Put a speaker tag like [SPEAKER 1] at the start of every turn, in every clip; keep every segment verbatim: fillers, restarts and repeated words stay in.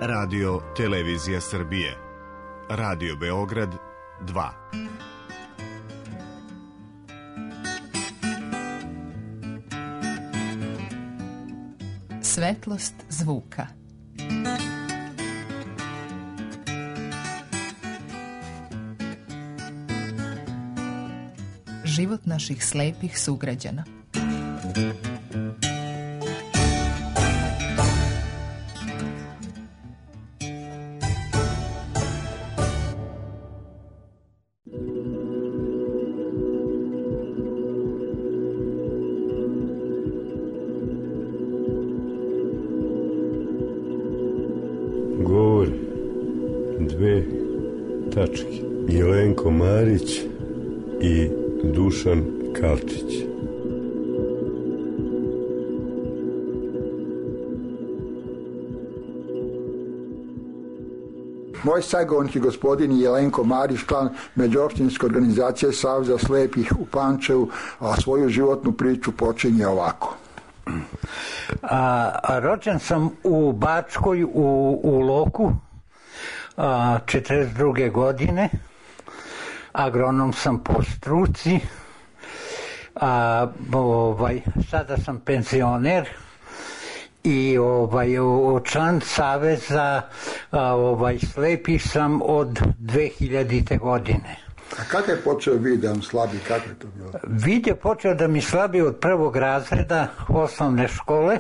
[SPEAKER 1] Radio Televizija Srbije, Radio Beograd dva.
[SPEAKER 2] Svetlost zvuka. Život naših slepih sugrađana.
[SPEAKER 3] Govor dve tačke. Jelenko Marić i Dušan Kalčić.
[SPEAKER 4] Moj sagovornik je gospodin Jelenko Marić, član Međuopštinske organizacije Saveza slepih u Pančevu, a svoju životnu priču počinje ovako.
[SPEAKER 5] A, a rođen sam u Bačkoj, u, u Loku, a, četrdeset druge godine. Agronom sam po struci, a, ovaj, sada sam penzioner i ovaj, član Saveza a, ovaj, slepih sam od dve hiljadite. godine.
[SPEAKER 4] A kada je počeo vid da vam slabi, kako je to bilo?
[SPEAKER 5] Vid je počeo da mi slabi od prvog razreda osnovne škole.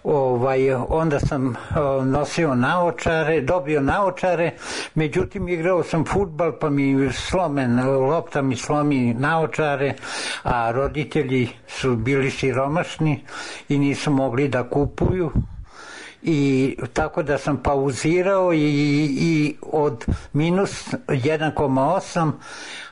[SPEAKER 5] Ovaj, onda sam o, nosio naočare, dobio naočare, međutim igrao sam fudbal pa mi slomen, lopta mi slomi naočare, a roditelji su bili siromašni i nisu mogli da kupuju. I tako da sam pauzirao i, i od minus jedan zarez osam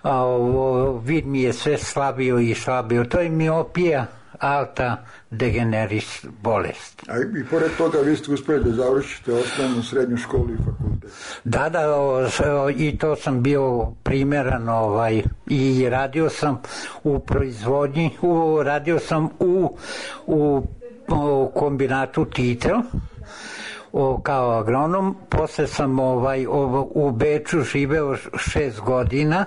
[SPEAKER 5] a, o, vid mi je sve slabio i slabio. To je miopija, alta degeneris bolest.
[SPEAKER 4] A i pored toga vi ste uspeli da završite osnovnu, srednju školu i fakultet.
[SPEAKER 5] Da, da, o, o, i to sam bio primjeran, ovaj, i radio sam u proizvodnji, u, radio sam u, u, u kombinatu Titel, o, kao agronom. Posle sam ovaj, o, u Beču živeo šest godina.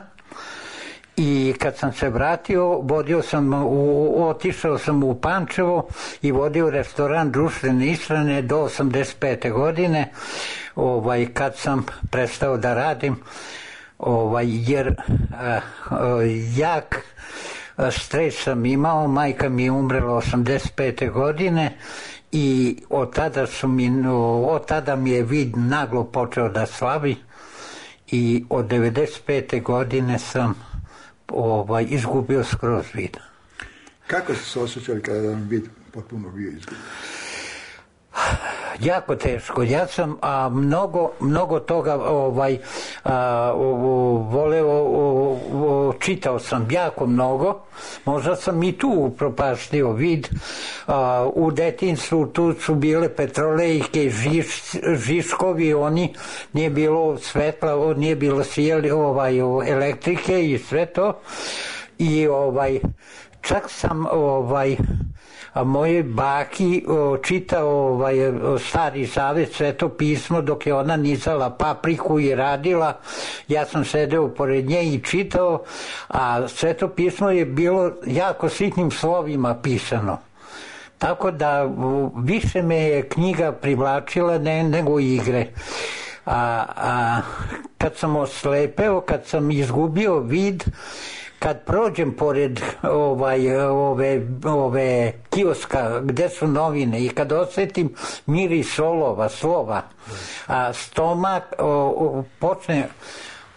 [SPEAKER 5] I kad sam se vratio, vodio sam, u, otišao sam u Pančevo i vodio restoran društvene ishrane do osamdeset pete. godine, ovaj, kad sam prestao da radim, ovaj, jer a, a, jak stres sam imao, majka mi je umrela osamdeset pete. godine i od tada, su mi, od tada mi je vid naglo počeo da slabi i od devedeset pete. godine sam Ovaj, izgubio skroz vid.
[SPEAKER 4] Kako ste se osjećali kada vam vid potpuno bio izgubio?
[SPEAKER 5] Jako teško. Ja sam a, mnogo, mnogo toga ovaj, a, o, o, voleo, o, o, čitao sam jako mnogo. Možda sam i tu upropaštio vid. A, u detinjstvu tu su bile petrolejke, žiš, žiškovi, oni, nije bilo svetla, nije bilo svijeli, ovaj, elektrike i sve to. I ovaj, čak sam ovaj, a moje baki o, čitao ovaj, Stari Zavet, Sveto pismo, dok je ona nizala papriku i radila. Ja sam sedeo pored nje i čitao, a Sveto pismo je bilo jako sitnim slovima pisano. Tako da više me je knjiga privlačila ne, nego igre. A, a kad sam oslepeo, kad sam izgubio vid, kad prođem pored ovaj, ove, ove kioska gde su novine i kad osjetim miris olova, slova, a stomak, o, o, počne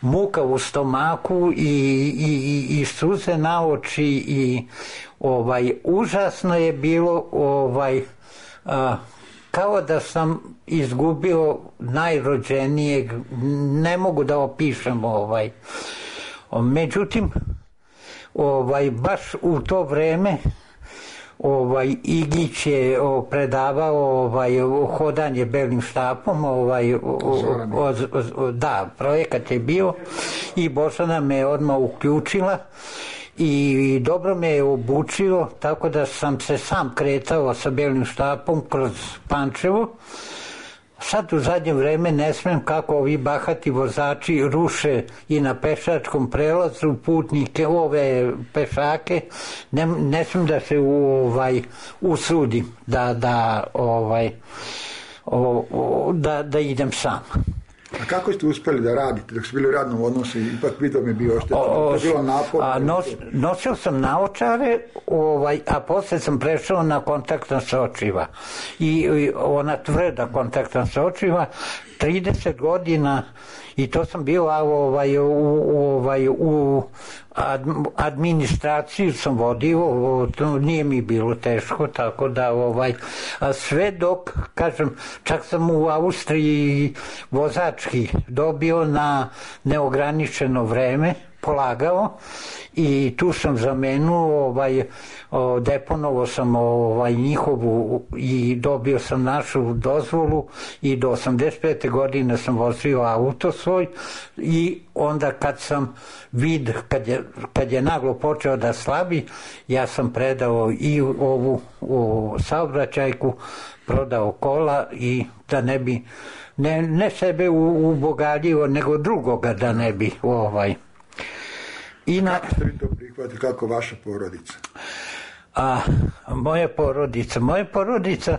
[SPEAKER 5] muka u stomaku i, i, i suze na oči i ovaj, užasno je bilo, ovaj, a, kao da sam izgubio najrođenijeg, ne mogu da opišem ovaj. Međutim, ovaj, baš u to vreme ovaj, Igić je o, predavao ovaj, hodanje belim štapom, ovaj, o, o, o, da, projekat je bio i Božana me odmah uključila i dobro me je obučio, tako da sam se sam kretao sa belim štapom kroz Pančevo. Sad u zadnje vreme ne smem kako ovi bahati vozači ruše i na pešačkom prelazu putnike, ove pešake, ne, ne smem da se ovaj, usudim da, da, ovaj, o, o, da, da idem sam.
[SPEAKER 4] A kako ste uspeli da radite dok ste bili u radnom odnosu? Ipak video mi je bio oštetan, to je bilo naporno.
[SPEAKER 5] A nos, nosio sam naočare, ovaj, a posle sam prešao na kontaktna sočiva. I, i ona tvrda kontaktna sočiva, trideset godina, i to sam bio ovaj, u, ovaj, u administraciju sam vodio, to nije mi bilo teško, tako da ovaj, sve dok, kažem, čak sam u Austriji vozački dobio na neograničeno vreme, polagao, i tu sam zamenuo, ovaj, deponovao sam ovaj, njihovu i dobio sam našu dozvolu i do osamdeset pete godine sam vozio auto svoj, i onda kad sam vid, kad je, kad je naglo počeo da slabi, ja sam predao i ovu u saobraćajku, prodao kola, i da ne bi ne, ne sebe ubogaljio, nego drugoga da ne bi ovaj. I na...
[SPEAKER 4] Kako ste vi to prihvatili, kako vaša porodica?
[SPEAKER 5] A, moja porodica, moja porodica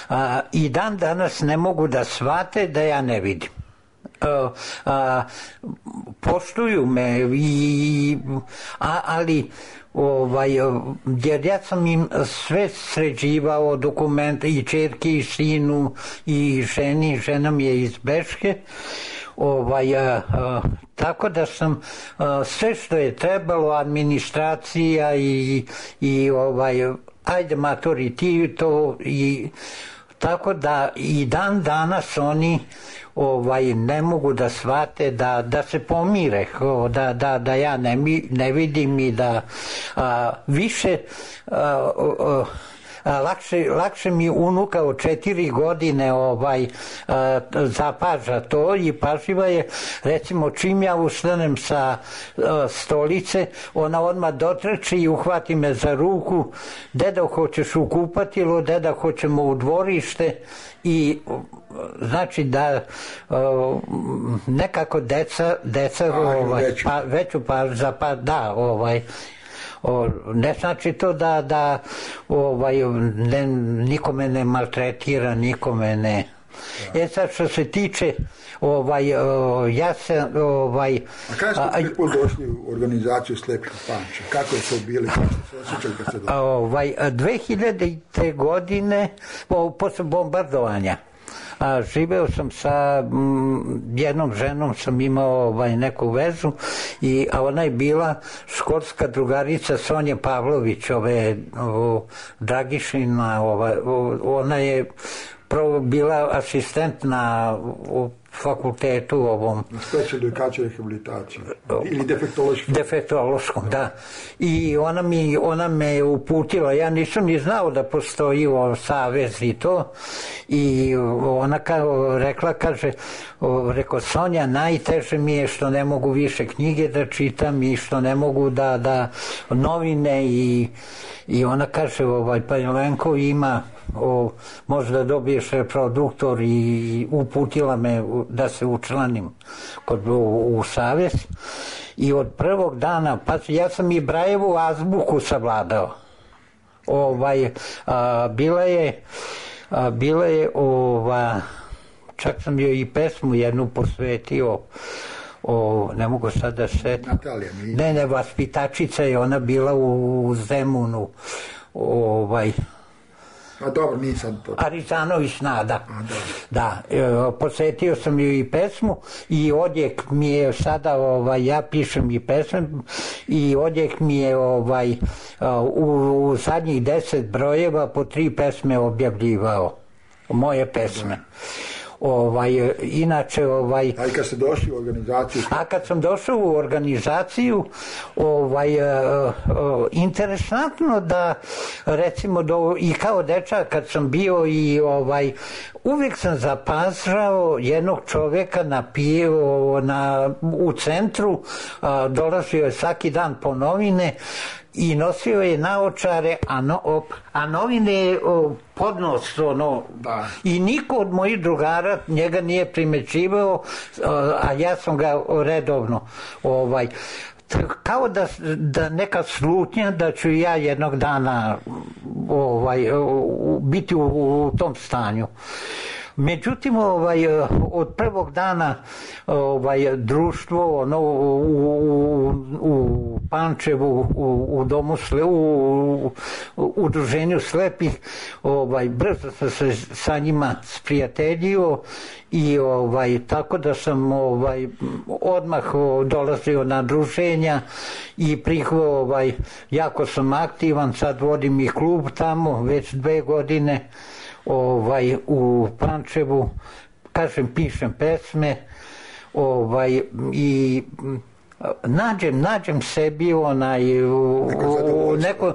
[SPEAKER 5] a, i dan danas ne mogu da shvate da ja ne vidim. A, a, poštuju me, i, a, ali ovaj, jer ja sam im sve sređivao, dokumente, i čerki, i sinu, i ženi, žena mi je iz Beške. Ovaj, a, a, tako da sam a, sve što je trebalo, administracija i, i ovaj, ajde matori ti to, i tako da i dan danas oni ovaj, ne mogu da shvate da, da se pomire, da, da, da ja ne, ne vidim, i da a, više a, a, Lakše, lakše mi unuka od četiri godine ovaj, a, zapaža to, i pažljiva je, recimo čim ja ustanem sa a, stolice, ona odmah dotrči i uhvati me za ruku, deda hoćeš u kupatilo, deda hoćemo u dvorište, i znači da a, nekako deca, deca
[SPEAKER 4] A,
[SPEAKER 5] ovaj,
[SPEAKER 4] veću.
[SPEAKER 5] pa, veću pa, za, pa da, ovaj, O, ne znači to da, da ovaj, ne, nikome ne maltretira, nikome ne. Da. E sad što se tiče ovaj, o, ja sam ovaj,
[SPEAKER 4] a kada ste prvi put došli u organizaciju Slepih u Pančevu? Kako je to bili? Kako ste se osjećali kad ste došli?
[SPEAKER 5] Ovaj, dve hiljadite godine po, posle bombardovanja, a, živeo sam sa m, jednom ženom, sam imao ovaj, neku vezu, i, a ona je bila školska drugarica Sonje Pavlović, ove, o, Dragišina, ova, o, ona je prvo bila asistent na o, fakultetu ovom.
[SPEAKER 4] Na specijalnu edukaciju i rehabilitaciju. Ili defektološkom.
[SPEAKER 5] Defektološkom, da. I ona, mi, ona me uputila, ja nisam ni znao da postoji o savez i to. I ona kao rekla, kaže, o, rekao, Sonja, najteže mi je što ne mogu više knjige da čitam, i što ne mogu da, da novine, i, i ona kaže, ovaj, pa Jelenko ima, o, možda dobiješ reproduktor, i uputila me da se učlanim kod, u, u savez, i od prvog dana, pa ja sam i Brajevu azbuku savladao. Ovaj, a, bila je a, bila je ova, čak sam joj i pesmu jednu posvetio, o, ne mogu sad da se...
[SPEAKER 4] Natalija, mi...
[SPEAKER 5] Ne, ne, vaspitačica je ona bila u, u Zemunu, ovaj...
[SPEAKER 4] A dobro, nisam to.
[SPEAKER 5] Arizanović Nada.
[SPEAKER 4] A,
[SPEAKER 5] da, e, posvetio sam ju i pesmu, i odjek mi je sada, ovaj, ja pišem i pesmu, i odjek mi je ovaj, u, u zadnjih deset brojeva po tri pesme objavljivao. Moje pesme. Ovaj, inače, ovaj...
[SPEAKER 4] A i kad ste došli u organizaciju?
[SPEAKER 5] A kad sam došao u organizaciju, ovaj, uh, uh, interesantno da, recimo, do, i kao dečak kad sam bio, i ovaj, uvijek sam zapažao jednog čovjeka na pijevu na, u centru, a, dolazio je svaki dan po novine i nosio je naočare, a, no, op, a novine je podnos, ono,
[SPEAKER 4] da.
[SPEAKER 5] I niko od mojih drugara njega nije primećivao, a ja sam ga redovno, ovaj, kao da, da neka slutnja da ću ja jednog dana ovaj, biti u, u tom stanju. Međutim, ovaj, od prvog dana ovaj, društvo ono, u, u, u Pančevu, u, u domu sle, u, u, u udruženju slepih, ovaj, brzo sam se sa njima sprijateljio i ovaj, tako da sam ovaj, odmah dolazio na druženja i prihvo, ovaj, jako sam aktivan, sad vodim i klub tamo već dve godine. Ovaj, u Pančevu, kažem, pišem pesme, ovaj, i nađem, nađem sebi onaj, u, u neko,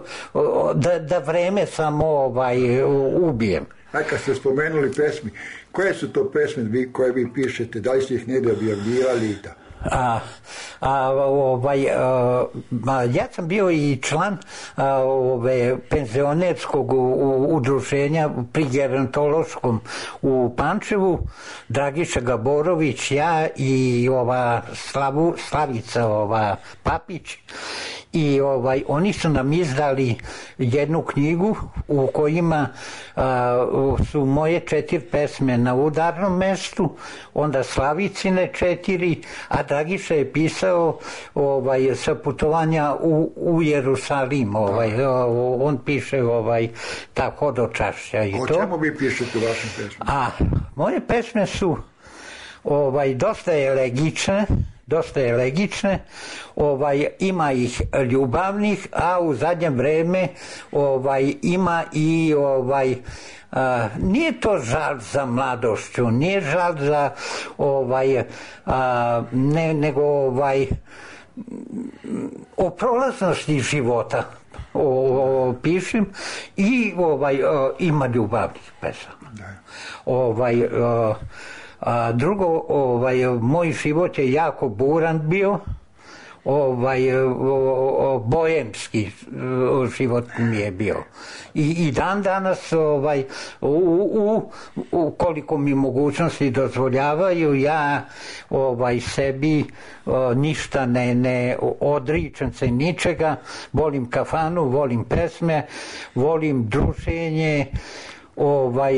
[SPEAKER 5] da, da vreme samo ovaj, ubijem.
[SPEAKER 4] A kad ste spomenuli pesmi, koje su to pesme koje vi pišete, da li ste ih negdje objavljivali i tako?
[SPEAKER 5] A, a, ovaj, a, a, ja sam bio i član a, ove, penzionerskog u, u, udruženja pri gerontološkom u Pančevu, Dragiša Gaborović, ja i ova Slavu, Slavica ova, Papić, i ovaj, oni su nam izdali jednu knjigu u kojima a, su moje četiri pesme na udarnom mestu, onda Slavicine četiri, a Dragiša je pisao ovaj, sa putovanja u, u Jerusalim, ovaj, on piše ovaj, ta hodočašća i
[SPEAKER 4] o
[SPEAKER 5] to.
[SPEAKER 4] O čemu vi pišete u vašim pesmama?
[SPEAKER 5] A, moje pesme su ovaj, dosta elegične, dosta elegične, ovaj, ima ih ljubavnih, a u zadnje vreme ovaj, ima i ovaj, a, nije to žal za mladošću, nije žal za ovaj, a, ne, nego ovaj, o prolaznosti života o, o, pišem i ovaj, o, ima ljubavnih pesama.
[SPEAKER 4] Da.
[SPEAKER 5] Ovaj, o, a drugo, ovaj, moj život je jako buran bio, ovaj, o, o, bojemski život mi je bio. I, i dan danas, ovaj, u, u, u koliko mi mogućnosti dozvoljavaju, ja ovaj, sebi o, ništa ne, ne odričem se ničega, volim kafanu, volim pesme, volim druženje, ovaj,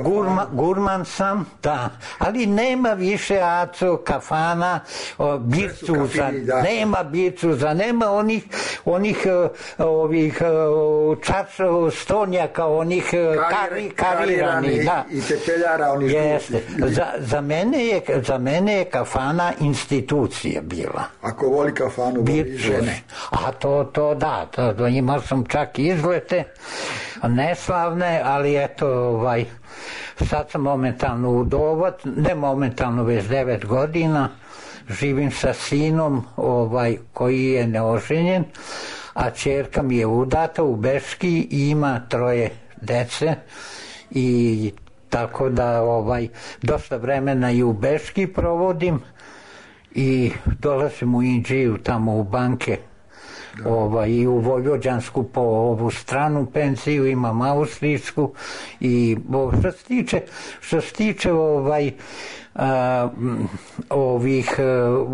[SPEAKER 5] gurma, gurman sam, da, ali nema više aco, kafana, bircuza, nema bircuza, nema onih, onih ovih čača, stonjaka, onih kari, karirani, da.
[SPEAKER 4] I tepeljara onih.
[SPEAKER 5] Jeste. Za, za, mene je, za mene je kafana institucija bila.
[SPEAKER 4] Ako voli kafanu, voli žene.
[SPEAKER 5] A to, to da, to, to imao sam čak izlete, neslavne, ali eto, ovaj, sad sam momentalno udovat, ne momentalno, već devet godina, živim sa sinom ovaj, koji je neoženjen, a ćerka mi je udata u Beški i ima troje dece i tako da ovaj, dosta vremena i u Beški provodim i dolazim u Inđiju tamo u banke. Ovaj, i u Vojvođansku po ovu stranu penziju, imam austrijsku i što se tiče, što se tiče ovaj, a, ovih a,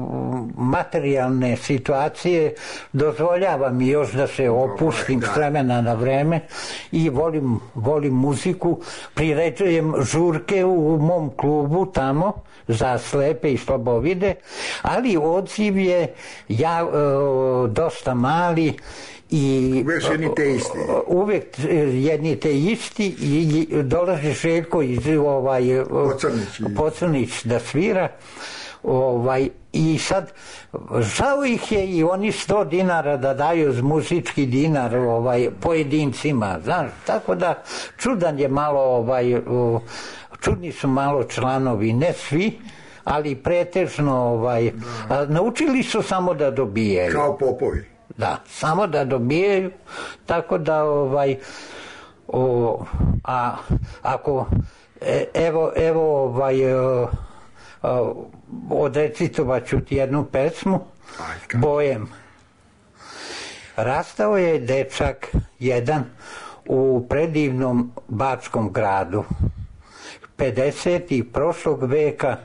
[SPEAKER 5] materijalne situacije, dozvoljava mi još da se opustim s vremena na vreme i volim, volim muziku, priređujem žurke u, u mom klubu tamo za slepe i slabovide, ali odziv je ja, e, dosta mali i
[SPEAKER 4] uvijek jedni te isti.
[SPEAKER 5] Uvijek jedni te isti i dolazi Željko iz ovaj,
[SPEAKER 4] Pocrnić,
[SPEAKER 5] Pocrnić da svira. Ovaj, i sad žao ih je i oni sto dinara da daju z muzički dinar ovaj, pojedincima, znaš, tako da čudan je malo ovaj, čudni su malo članovi, ne svi, ali pretežno ovaj, a, naučili su samo da dobijaju.
[SPEAKER 4] Kao popovi.
[SPEAKER 5] Da, samo da dobijaju, tako da ovaj, o, a ako E, evo, evo ovaj, uh, uh, odrecitovat ću ti jednu pesmu, Bojem. Rastao je dečak jedan u predivnom bačkom gradu, pedesetih prošlog veka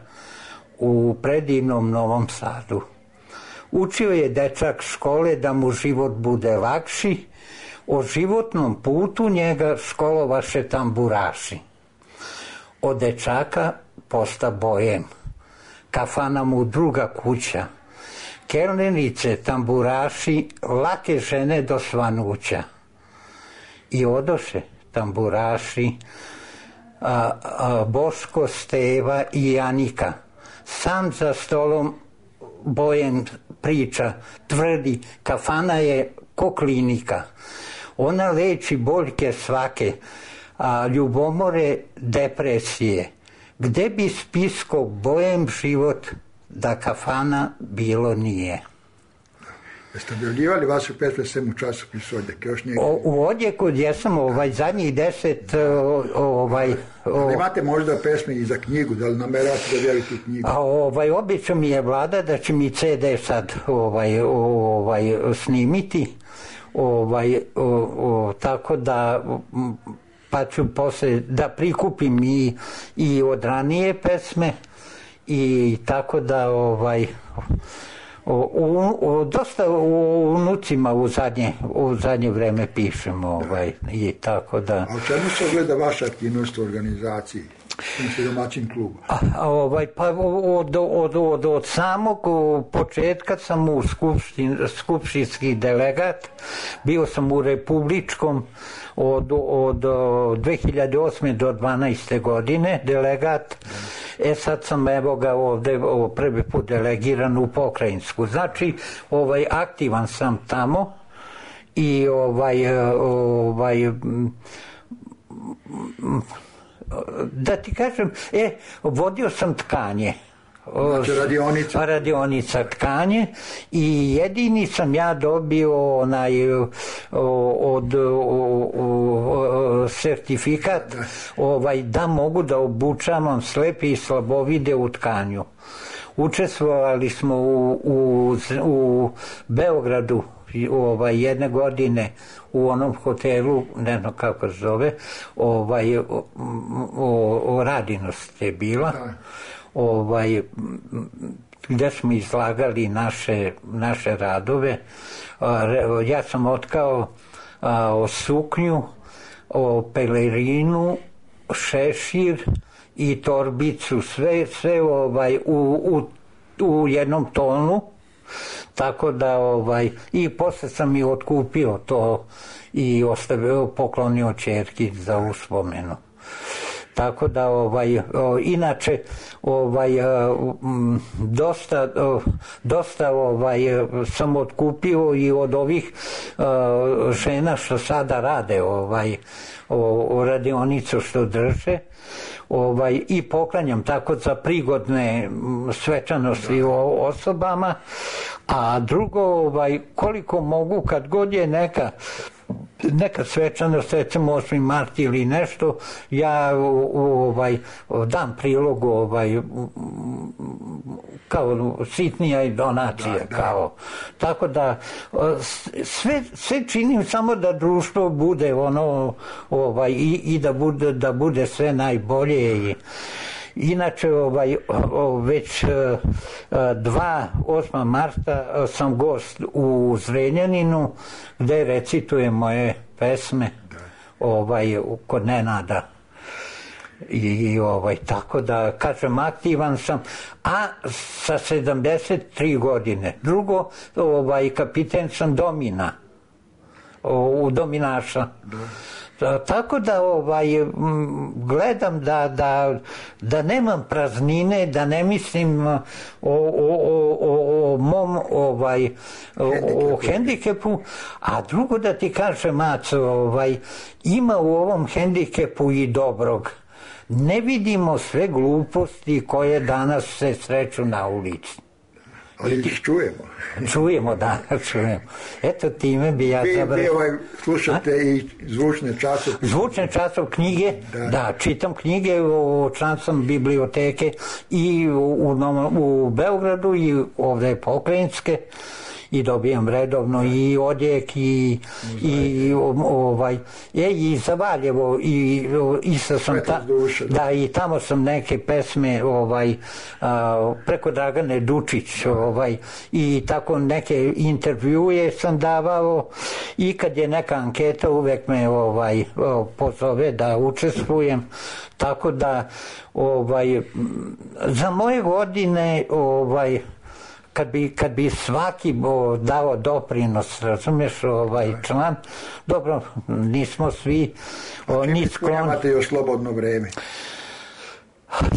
[SPEAKER 5] u predivnom Novom Sadu. Učio je dečak škole da mu život bude lakši, o životnom putu njega školovaše tamburaši. Od dečaka posta bojem, kafana mu druga kuća, kelnerice, tamburaši, lake žene do svanuća. I odoše tamburaši, a, a, Boško, Steva i Janika. Sam za stolom bojem priča, tvrdi, kafana je ko klinika. Ona leči boljke svake, a ljubomore, depresije. Gde bi spisko bojem život da kafana bilo nije?
[SPEAKER 4] Jeste objavljivali vaše pesme sem u časopisu Odjek? Još nije...
[SPEAKER 5] O, u Odjeku jesam ovaj, zadnjih deset... O, ovaj, o...
[SPEAKER 4] Ali imate možda pesme i za knjigu, da li nameravate da objavite knjigu?
[SPEAKER 5] A, ovaj, obično mi je vlada da će mi ce de sad ovaj, ovaj, snimiti, ovaj, o, o, tako da... pa ću posle da prikupim i, i od ranije pesme i tako da ovaj o, u, o, dosta u unucima u zadnje, u zadnje vreme pišem ovaj, i tako da...
[SPEAKER 4] A u čemu se ogleda vaša aktivnost u organizaciji? Domaćin kluba?
[SPEAKER 5] A, a, ovaj, pa od, od, od, od samog početka sam u skupštin, skupštinski delegat, bio sam u republičkom od, od, od dve hiljade osme do dvanaeste godine delegat. E sad sam evo ga ovde prvi put delegiran u pokrajinsku. Znači, ovaj, aktivan sam tamo i ovaj, ovaj da ti kažem, e, vodio sam tkanje.
[SPEAKER 4] Znači radionica.
[SPEAKER 5] Radionica tkanje i jedini sam ja dobio onaj od sertifikat ovaj, da mogu da obučavam slepe i slabovide u tkanju. Učestvovali smo u, u, u Beogradu ovaj, jedne godine u onom hotelu, ne znam kako se zove, ovaj, o, o, o Radinost je bila, ovaj, gde smo izlagali naše, naše radove. Ja sam otkao a, o suknju, o pelerinu, šešir i torbicu, sve, sve ovaj, u, u, u jednom tonu. Tako da ovaj, i posle sam i otkupio to i ostavio, poklonio ćerki za uspomenu. Tako da ovaj, o, inače ovaj, o, m, dosta, o, dosta ovaj, sam otkupio i od ovih o, žena što sada rade ovaj, o, o radionicu što drže. Ovaj, i poklanjam tako za prigodne svečanosti o osobama, a drugo, ovaj, koliko mogu kad god je neka neka svečanost, recimo osmi mart ili nešto, ja ovaj, dam prilog ovaj, kao sitnija i donacija, da, da. Kao. Tako da sve, sve činim samo da društvo bude ono ovaj, i, i da bude, da bude sve najbolje. I, inače, ovaj, već dva osmog marta sam gost u Zrenjaninu gde recitujem moje pesme ovaj, kod Nenada. I, i ovaj, tako da, kažem, aktivan sam, a sa sedamdeset tri godine. Drugo, ovaj, kapiten sam Domina, u Dominaša. Tako da ovaj, gledam da, da, da nemam praznine, da ne mislim o, o, o, o, o mom ovaj, o, o hendikepu, a drugo da ti kažem, Maco, ovaj, ima u ovom hendikepu i dobrog. Ne vidimo sve gluposti koje danas se sreću na ulici.
[SPEAKER 4] Ali ih čujemo.
[SPEAKER 5] Čujemo, da, čujemo. Eto, time bi ja završio.
[SPEAKER 4] Vi, vi ovaj, slušate A? i zvučne časopise.
[SPEAKER 5] Zvučne časov knjige, da. da, čitam knjige, član sam biblioteke i u, u, u Beogradu i ovde pokrajinske. I dobijam redovno i odjek i, i ovaj je i za Valjevo i isto sam ta, da i tamo sam neke pesme ovaj a, preko Dragane Dučić ovaj i tako neke intervjue sam davao i kad je neka anketa uvek me ovaj pozove da učestvujem, tako da ovaj za moje godine ovaj kad bi, kad bi svaki bo dao doprinos, razumeš, ovaj član, dobro, nismo svi o, ni skloni.
[SPEAKER 4] Imate još slobodno vreme?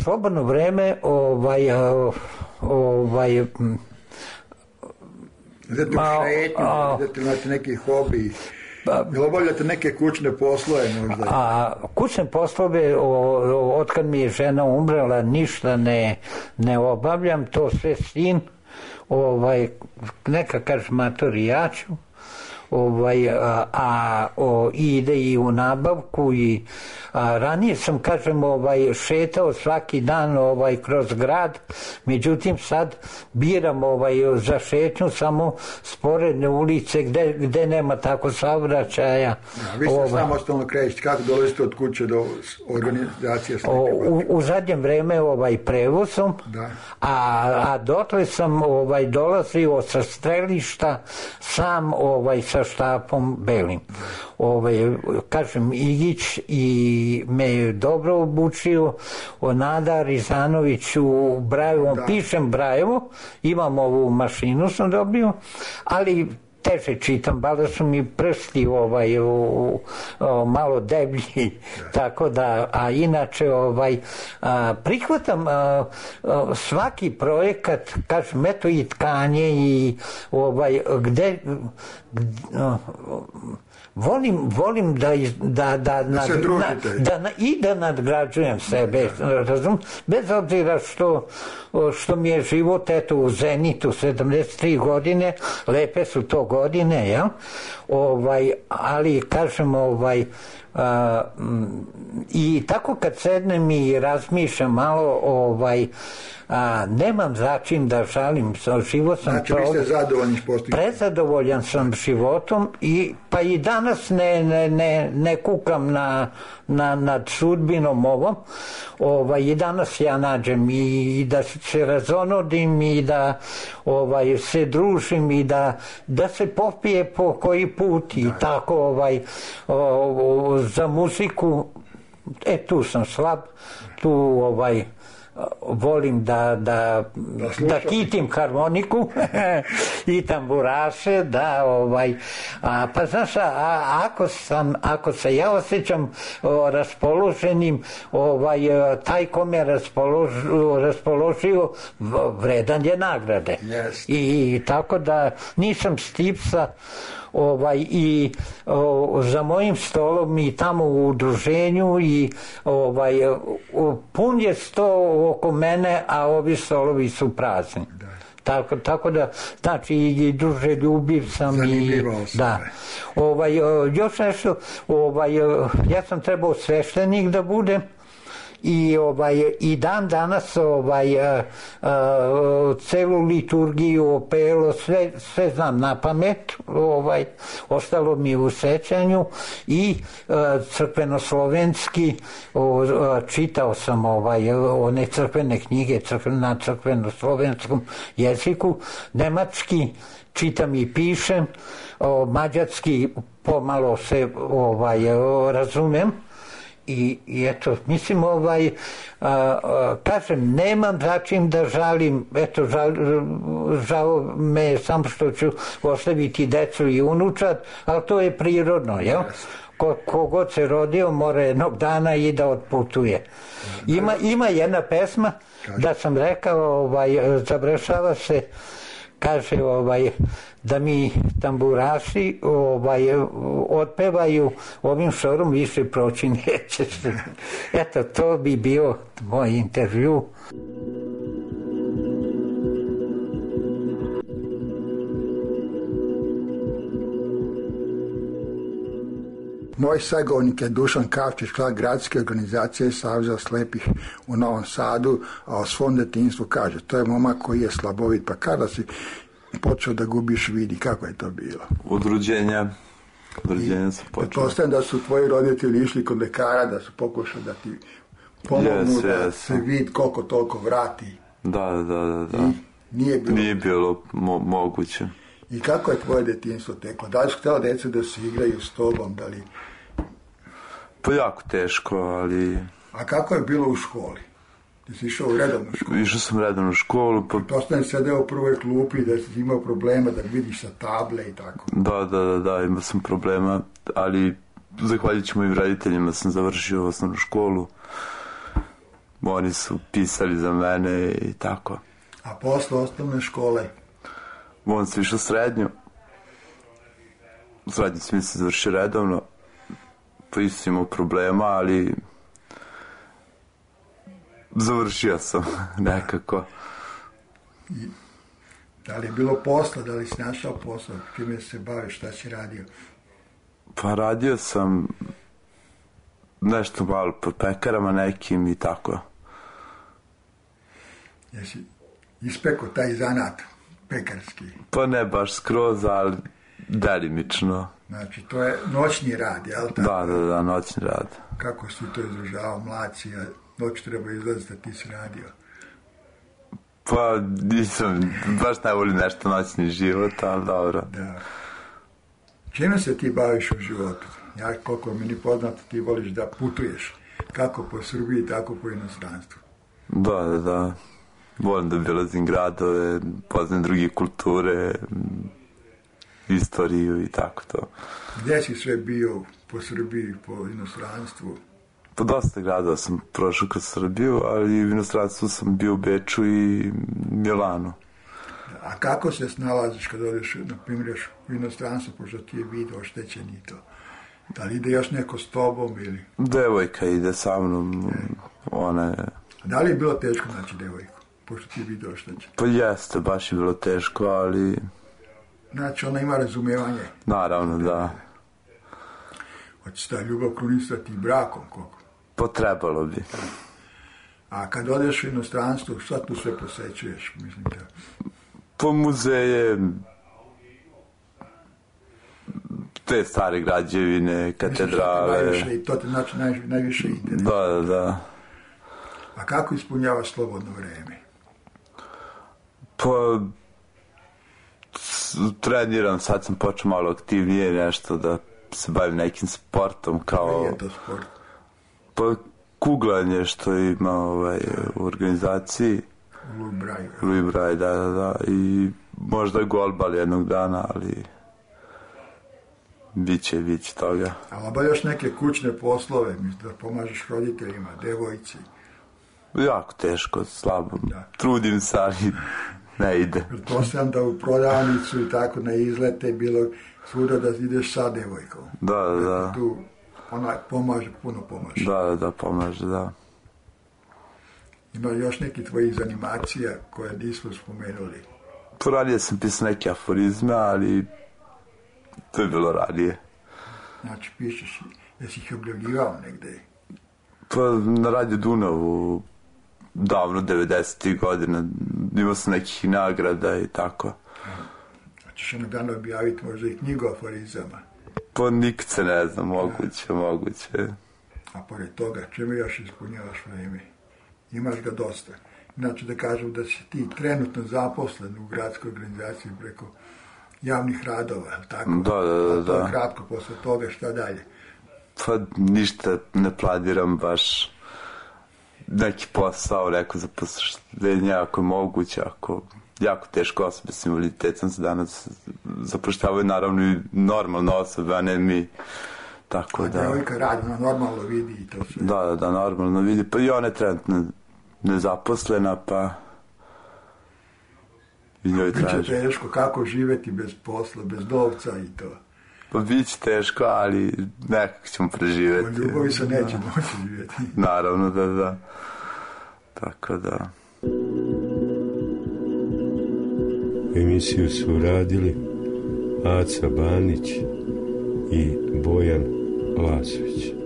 [SPEAKER 5] Slobodno vreme, ovaj, ovaj,
[SPEAKER 4] Znate u šetnju, znate imate neki hobi, ili obavljate neke kućne poslove možda?
[SPEAKER 5] A kućne poslove, od kad mi je žena umrela, ništa ne, ne obavljam, to sve sin. Ovaj, neka kaže matori ja ću, ovaj, a, a o, ide i u nabavku i a, ranije sam kažem ovaj, šetao svaki dan ovaj, kroz grad, međutim sad biram ovaj, za šetnju samo sporedne ulice gde, gde nema tako saobraćaja.
[SPEAKER 4] Ja, vi ste ovaj, samostalno krećete, kako dolazite od kuće do organizacije slike?
[SPEAKER 5] U, u zadnjem vreme ovaj, prevozom, da. a, a dotle sam ovaj, dolazio sa strelišta sam ovaj, sa štapom belim. Ovaj, kažem, Igić i me je dobro obučio, Nada Rizanović u Brajevu, on pišem Brajevo, imam ovu mašinu sam dobio, ali teže čitam, bada su mi prsti ovaj, u, u, malo deblji, tako da, a inače ovaj, a, prihvatam a, a, svaki projekat, kažem, eto i tkanje i ovaj, gde, gde a, volim, volim da, da, da, nad, da, da i da nadgrađujem sebe, razum, bez obzira što, što mi je život eto u zenitu, sedamdeset tri godine, lepe su to godine, ja? Ovaj, ali kažem, ovaj, a, i tako kad sednem i razmišljam malo, ovaj, a, nemam za čim da žalim, život sam
[SPEAKER 4] znači vi ste zadovoljni postignutim?
[SPEAKER 5] Prezadovoljan sam životom i pa i danas ne, ne, ne, ne kukam na, na, nad sudbinom ovom, ovaj, i danas ja nađem i, i da se razonodim i da ovaj, se družim i da, da se popije po koji put i tako ovaj, o, o, za muziku, e tu sam slab, tu ovaj volim da, da, da, da kitim harmoniku i tamburaše, da ovaj, a, pa znaš, a, ako sam, ako se ja osjećam o, raspoloženim, ovaj, taj ko me raspoložio, raspoložio vredan je nagrade.
[SPEAKER 4] Yes.
[SPEAKER 5] I, i tako da nisam stipsa, ovaj, i o, za mojim stolom i tamo u udruženju i ovaj, o, pun je sto oko mene, a ovi stolovi su prazni. Da. Tako, tako da, znači, i druže ljubiv sam.
[SPEAKER 4] Zanimljivo
[SPEAKER 5] i da. Ovaj, još nešto, ovaj, ja sam trebao sveštenik da budem, i ovaj i dan danas ovaj a, a, celu liturgiju, opelo, sve sve znam na pamet, ovaj ostalo mi u sećanju i a, crkvenoslovenski o, a, čitao sam ovaj one crkvene knjige crkven, na crkvenoslovenskom jeziku, nemački čitam i pišem, o, mađarski pomalo se ovaj o, razumem. I, i eto, mislim, ovaj, a, a, kažem, nemam za čim da žalim, eto, žal, žao me samo što ću ostaviti decu i unučad, ali to je prirodno, jel? Ko, kogod se rodio mora jednog dana i da otputuje. Ima, ima jedna pesma, da sam rekao, ovaj, završava se, kaže, ovaj, da mi tamburaši ovaj, otpevaju ovim šorom više proći neće. Eto, to bi bio moj intervju.
[SPEAKER 4] Moj sagovornik je Dušan Kavčić, član gradske organizacije Saveza slepih u Novom Sadu, a o svom detinjstvu kaže, to je momak koji je slabovit, pa kada si počeo da gubiš vid i kako je to bilo?
[SPEAKER 6] Od rođenja. Od rođenja sam počeo.
[SPEAKER 4] Pretpostavljam da su tvoji roditelji išli kod lekara, da su pokušali da ti pomognu, yes, da yes. se vid koliko toliko vrati.
[SPEAKER 6] Da, da, da. da.
[SPEAKER 4] I nije bilo,
[SPEAKER 6] nije bilo mo- moguće.
[SPEAKER 4] I kako je tvoje detinjstvo teklo? Da li su htjela djeca da se igraju s tobom? Da li...
[SPEAKER 6] Pa jako teško, ali...
[SPEAKER 4] A kako je bilo u školi? Ti si išao u redovnu školu?
[SPEAKER 6] Išao sam redovnu u školu. Pa...
[SPEAKER 4] To sam sedeo u prvoj klupi da si imao problema da vidiš sa table i tako.
[SPEAKER 6] Da, da, da, da, imao sam problema, ali zahvaljujući mojim roditeljima sam završio osnovnu školu. Oni su pisali za mene i tako.
[SPEAKER 4] A posle osnovne škole?
[SPEAKER 6] On sam išao srednju. Srednju sam se završio redovno. Pa isto imao problema, ali završio sam nekako.
[SPEAKER 4] I da li je bilo posla, da li si našao posla, čime se baviš, šta si radio?
[SPEAKER 6] Pa radio sam nešto malo po pekarama nekim i tako.
[SPEAKER 4] Jesi ispekao taj zanat pekarski?
[SPEAKER 6] Pa ne baš skroz, ali delimično.
[SPEAKER 4] Znači, to je noćni rad, jel tako?
[SPEAKER 6] Da, da, da, noćni rad.
[SPEAKER 4] Kako si to izražavao, mlaci, a noć treba izlaziti, ti si radio?
[SPEAKER 6] Pa nisam, baš ne volim nešto noćni život, ali dobro.
[SPEAKER 4] Da. Čime se ti baviš u životu? Ja, koliko mi ni poznato, ti voliš da putuješ. Kako po Srbiji, tako po inostranstvu.
[SPEAKER 6] Da, da, da. Volim da obilazim gradove, poznam druge kulture, istoriju i tako to.
[SPEAKER 4] Gdje si sve bio po Srbiji, po inostranstvu?
[SPEAKER 6] Po dosta gradova sam prošao kroz Srbiju, ali u inostranstvu sam bio u Beču i Milanu.
[SPEAKER 4] A kako se snalaziš kad odeš, na primjer, u inostranstvu, pošto ti je vid oštećen i to? Da li ide još neko s tobom ili?
[SPEAKER 6] Devojka ide sa mnom, ona je...
[SPEAKER 4] Da li je bilo teško naći devojku, pošto ti je vid oštećen?
[SPEAKER 6] Pa jeste, baš je bilo teško, ali...
[SPEAKER 4] Znači, ona ima razumijevanje?
[SPEAKER 6] Naravno, da.
[SPEAKER 4] Hoće se ta ljubav krunisati brakom, koliko?
[SPEAKER 6] Potrebalo bi.
[SPEAKER 4] A kad odeš u inostranstvo, šta tu sve posećuješ, mislim da?
[SPEAKER 6] Po muzeje, te stare građevine, katedrale.
[SPEAKER 4] Najviše, I to te znači naj, najviše ide.
[SPEAKER 6] Da, da, da.
[SPEAKER 4] A kako ispunjavaš slobodno vreme?
[SPEAKER 6] Pa, treniram, sad sam počeo malo aktivnije nešto da se bavim nekim sportom kao...
[SPEAKER 4] Koji je to sport?
[SPEAKER 6] Pa, kuglanje što ima ovaj, u organizaciji.
[SPEAKER 4] Louis Braille.
[SPEAKER 6] Louis Braille, da, da, da. I možda golbal jednog dana, ali biće, biće toga.
[SPEAKER 4] Ali obavljaš neke kućne poslove, mislim da pomažeš roditeljima, devojci.
[SPEAKER 6] Jako teško, slabo.
[SPEAKER 4] Da.
[SPEAKER 6] Trudim se, ali ne ide.
[SPEAKER 4] Pretpostavljam da u prodavnicu i tako na izlete bilo svuda da ideš sa devojkom.
[SPEAKER 6] Da, da, da.
[SPEAKER 4] Tu ona pomaže, puno pomaže.
[SPEAKER 6] Da, da, da, pomaže, da.
[SPEAKER 4] Ima još neki tvojih zanimacija koje nismo spomenuli?
[SPEAKER 6] Poradije sam pisao neke aforizme, ali to je bilo radije.
[SPEAKER 4] Znači, pišeš, jesi ih objavljivao negde?
[SPEAKER 6] Pa na Radio Dunavu, davno, devedesetih godina, imao sam nekih nagrada i tako.
[SPEAKER 4] A ćeš jednog dana objaviti možda i knjigu aforizama?
[SPEAKER 6] Pa nikad se ne znam, moguće, moguće.
[SPEAKER 4] A pored toga, čemu još ispunjavaš vreme? Imaš ga dosta. Znači da kažem da si ti trenutno zaposlen u gradskoj organizaciji preko javnih radova, je li tako?
[SPEAKER 6] Da, da, da.
[SPEAKER 4] A to
[SPEAKER 6] da.
[SPEAKER 4] kratko, posle toga šta dalje?
[SPEAKER 6] Pa ništa ne planiram baš neki posao, neko zaposlenje, ako je moguće, ako jako teško osobe s invaliditetom se danas zapošljavaju, naravno i normalne osobe, a ne mi. Tako
[SPEAKER 4] a
[SPEAKER 6] da...
[SPEAKER 4] devojka radi, ona normalno vidi i to sve.
[SPEAKER 6] Da, da, da, normalno vidi. Pa i ona je trenutno nezaposlena, pa i njoj traži.
[SPEAKER 4] Biće teško, kako živeti bez posla, bez novca i to.
[SPEAKER 6] Pa bit će teško, ali nekako ćemo preživjeti.
[SPEAKER 4] Po ljubavi se neće moći živjeti.
[SPEAKER 6] Naravno, da, da. Tako da...
[SPEAKER 3] Emisiju su radili Aca Banić i Bojan Lasović.